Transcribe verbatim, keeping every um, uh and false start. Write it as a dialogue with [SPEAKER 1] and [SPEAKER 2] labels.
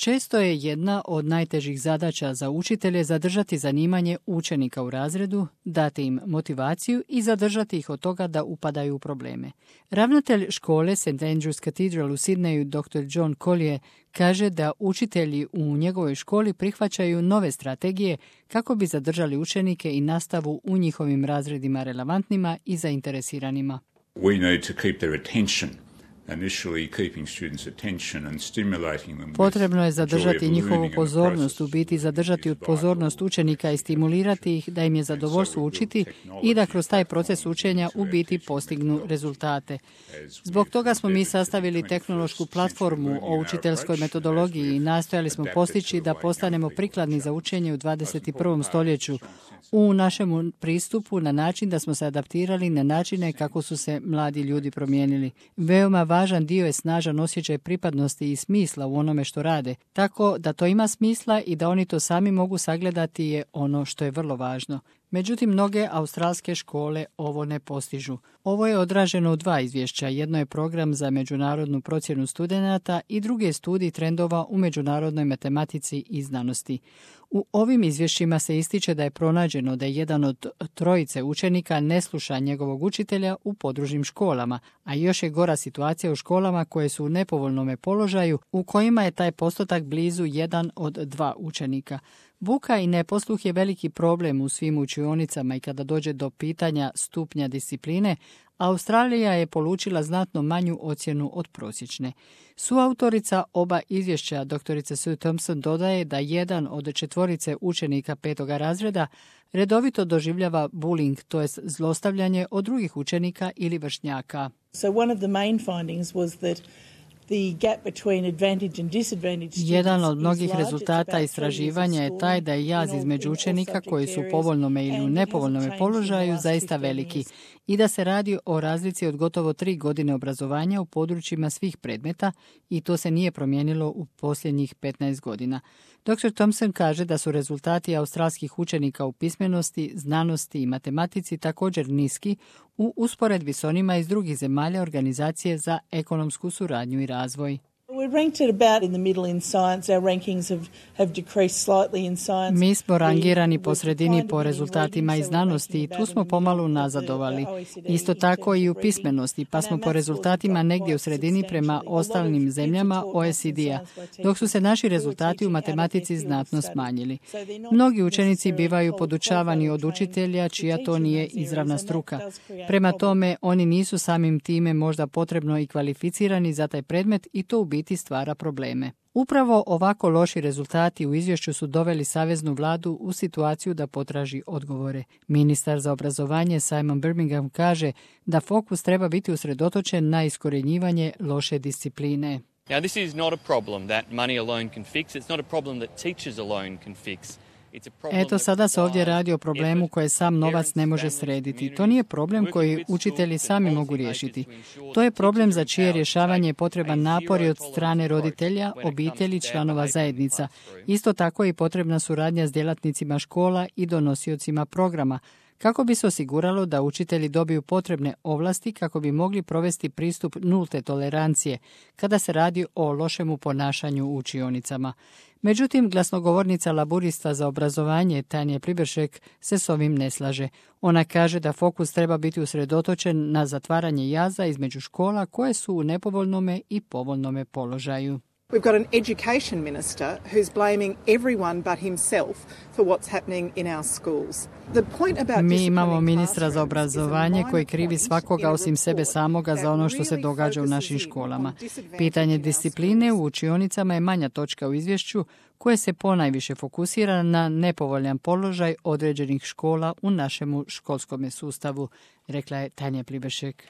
[SPEAKER 1] Često je jedna od najtežih zadaća za učitelje zadržati zanimanje učenika u razredu, dati im motivaciju i zadržati ih od toga da upadaju u probleme. Ravnatelj škole Saint Andrew's Cathedral u Sidneju, doktor John Collier, kaže da učitelji u njegovoj školi prihvaćaju nove strategije kako bi zadržali učenike i nastavu u njihovim razredima relevantnima i zainteresiranima.
[SPEAKER 2] We need to keep their attention.
[SPEAKER 1] Potrebno je zadržati njihovu pozornost, u biti zadržati pozornost učenika i stimulirati ih da im je zadovoljstvo učiti i da kroz taj proces učenja u biti postignu rezultate. Zbog toga smo mi sastavili tehnološku platformu o učiteljskoj metodologiji i nastojali smo postići da postanemo prikladni za učenje u dvadeset prvom stoljeću u našem pristupu na način da smo se adaptirali na načine kako su se mladi ljudi promijenili. Veoma važan dio je snažan osjećaj pripadnosti i smisla u onome što rade, tako da to ima smisla i da oni to sami mogu sagledati je ono što je vrlo važno. Međutim, mnoge australske škole ovo ne postižu. Ovo je odraženo u dva izvješća. Jedno je program za međunarodnu procjenu studenata i drugi je studij trendova u međunarodnoj matematici i znanosti. U ovim izvješćima se ističe da je pronađeno da jedan od trojice učenika ne sluša njegovog učitelja u područnim školama, a još je gora situacija u školama koje su u nepovoljnom položaju, u kojima je taj postotak blizu jedan od dva učenika. Buka i neposluh je veliki problem u svim učionicama i kada dođe do pitanja stupnja discipline, Australija je polučila znatno manju ocjenu od prosječne. Suautorica oba izvješća, doktorica Sue Thompson, dodaje da jedan od četvorice učenika petoga razreda redovito doživljava bullying, to jest zlostavljanje od drugih učenika ili vršnjaka.
[SPEAKER 3] So one of the main findings was that
[SPEAKER 1] Jedan od mnogih rezultata istraživanja je taj da je jaz između učenika koji su u povoljnome ili u nepovoljnome položaju zaista veliki i da se radi o razlici od gotovo tri godine obrazovanja u područjima svih predmeta i to se nije promijenilo u posljednjih petnaest godina. doktor Thompson kaže da su rezultati australskih učenika u pismenosti, znanosti i matematici također niski u usporedbi s onima iz drugih zemalja Organizacije za ekonomsku suradnju i razvoj. Mi smo rangirani po sredini po rezultatima iz znanosti i tu smo pomalo unazadovali. Isto tako i u pismenosti, pa smo po rezultatima negdje u sredini prema ostalim zemljama O E C D-a, dok su se naši rezultati u matematici znatno smanjili. Mnogi učenici bivaju podučavani od učitelja čija to nije izravna struka. Prema tome, oni nisu samim time možda potrebno i kvalificirani za taj predmet i to u biti stvara probleme. Upravo ovako loši rezultati u izvješću su doveli saveznu vladu u situaciju da potraži odgovore. Ministar za obrazovanje Simon Birmingham kaže da fokus treba biti usredotočen na iskorjenjivanje loše discipline.
[SPEAKER 4] Now this is not a problem that money alone can fix. It's not a problem that teachers alone can fix.
[SPEAKER 1] Eto, sada se ovdje radi o problemu koje sam novac ne može srediti. To nije problem koji učitelji sami mogu riješiti. To je problem za čije rješavanje je potreban napor i od strane roditelja, obitelji, članova zajednica. Isto tako i potrebna suradnja s djelatnicima škola i donosiocima programa, kako bi se osiguralo da učitelji dobiju potrebne ovlasti kako bi mogli provesti pristup nulte tolerancije kada se radi o lošemu ponašanju u učionicama. Međutim, glasnogovornica laburista za obrazovanje Tanja Pliberšek se s ovim ne slaže. Ona kaže da fokus treba biti usredotočen na zatvaranje jaza između škola koje su u nepovoljnome i povoljnome položaju.
[SPEAKER 5] We've got an education minister who's blaming everyone but himself for what's happening in our schools. The point about
[SPEAKER 1] Mi imamo ministra za obrazovanje koji krivi svakoga osim sebe samoga za ono što se događa u našim školama. Pitanje discipline u učionicama je manja točka u izvješću koje se ponajviše fokusira na nepovoljan položaj određenih škola u našemu školskom sustavu, rekla je Tanja Pliberšek.